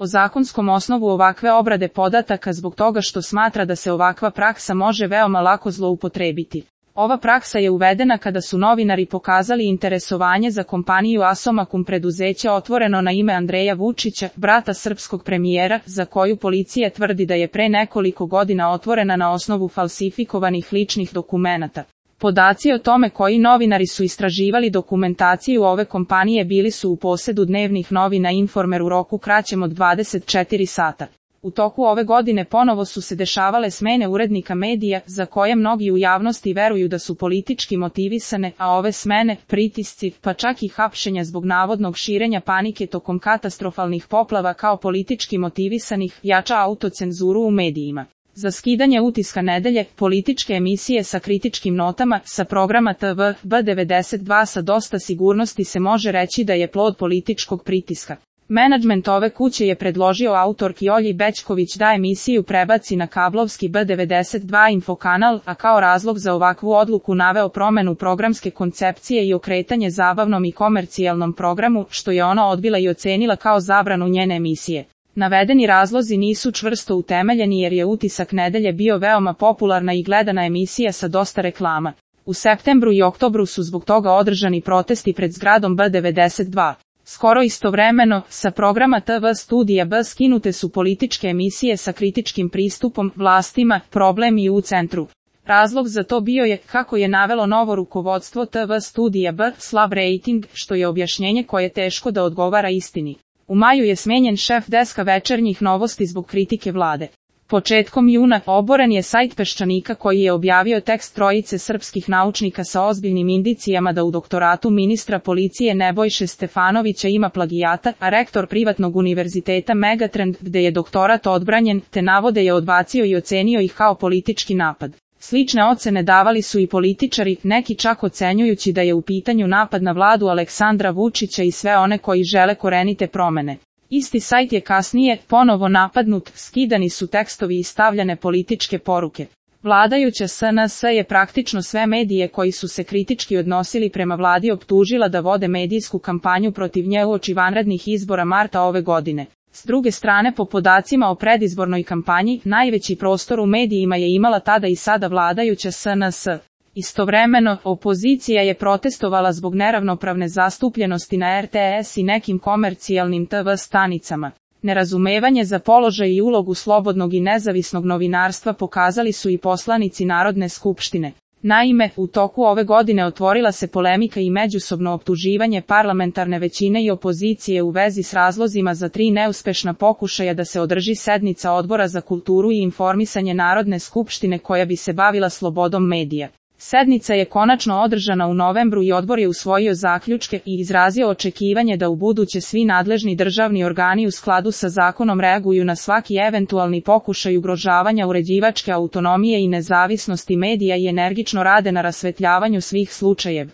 o zakonskom osnovu ovakve obrade podataka zbog toga što smatra da se ovakva praksa može veoma lako zloupotrebiti. Ova praksa je uvedena kada su novinari pokazali interesovanje za kompaniju Asomakum, preduzeće otvoreno na ime Andreja Vučića, brata srpskog premijera, za koju policija tvrdi da je pre nekoliko godina otvorena na osnovu falsifikovanih ličnih dokumenata. Podaci o tome koji novinari su istraživali dokumentaciju ove kompanije bili su u posedu dnevnih novina Informer u roku kraćem od 24 sata. U toku ove godine ponovo su se dešavale smene urednika medija, za koje mnogi u javnosti veruju da su politički motivisane, a ove smene, pritisci, pa čak i hapšenja zbog navodnog širenja panike tokom katastrofalnih poplava kao politički motivisanih, jača autocenzuru u medijima. Za skidanje utiska nedelje, političke emisije sa kritičkim notama, sa programa TV B92 sa dosta sigurnosti se može reći da je plod političkog pritiska. Menadžment ove kuće je predložio autorki Olji Bećković da emisiju prebaci na kablovski B92 infokanal, a kao razlog za ovakvu odluku naveo promenu programske koncepcije i okretanje zabavnom i komercijalnom programu, što je ona odbila i ocenila kao zabranu njene emisije. Navedeni razlozi nisu čvrsto utemeljeni jer je Utisak nedelje bio veoma popularna i gledana emisija sa dosta reklama. U septembru i oktobru su zbog toga održani protesti pred zgradom B92. Skoro istovremeno, sa programa TV studija B skinute su političke emisije sa kritičkim pristupom, vlastima, problem i u centru. Razlog za to bio je, kako je navelo novo rukovodstvo TV studija B, slab rejting, što je objašnjenje koje je teško da odgovara istini. U maju je smenjen šef deska Večernjih novosti zbog kritike vlade. Početkom juna oboren je sajt Peščanika koji je objavio tekst trojice srpskih naučnika sa ozbiljnim indicijama da u doktoratu ministra policije Nebojše Stefanovića ima plagijata, a rektor privatnog univerziteta Megatrend, gde je doktorat odbranjen, te navode je odbacio i ocenio ih kao politički napad. Slične ocene davali su i političari, neki čak ocenjujući da je u pitanju napad na vladu Aleksandra Vučića i sve one koji žele korenite promene. Isti sajt je kasnije ponovo napadnut, skidani su tekstovi i stavljane političke poruke. Vladajuća SNS je praktično sve medije koji su se kritički odnosili prema vladi optužila da vode medijsku kampanju protiv nje uoči vanrednih izbora marta ove godine. S druge strane, po podacima o predizbornoj kampanji, najveći prostor u medijima je imala tada i sada vladajuća SNS. Istovremeno, opozicija je protestovala zbog neravnopravne zastupljenosti na RTS i nekim komercijalnim TV stanicama. Nerazumevanje za položaj i ulogu slobodnog i nezavisnog novinarstva pokazali su i poslanici Narodne skupštine. Naime, u toku ove godine otvorila se polemika i međusobno optuživanje parlamentarne većine i opozicije u vezi s razlozima za 3 neuspešna pokušaja da se održi sednica Odbora za kulturu i informisanje Narodne skupštine koja bi se bavila slobodom medija. Sednica je konačno održana u novembru i odbor je usvojio zaključke i izrazio očekivanje da ubuduće svi nadležni državni organi u skladu sa zakonom reaguju na svaki eventualni pokušaj ugrožavanja uređivačke autonomije i nezavisnosti medija i energično rade na rasvetljavanju svih slučajeva.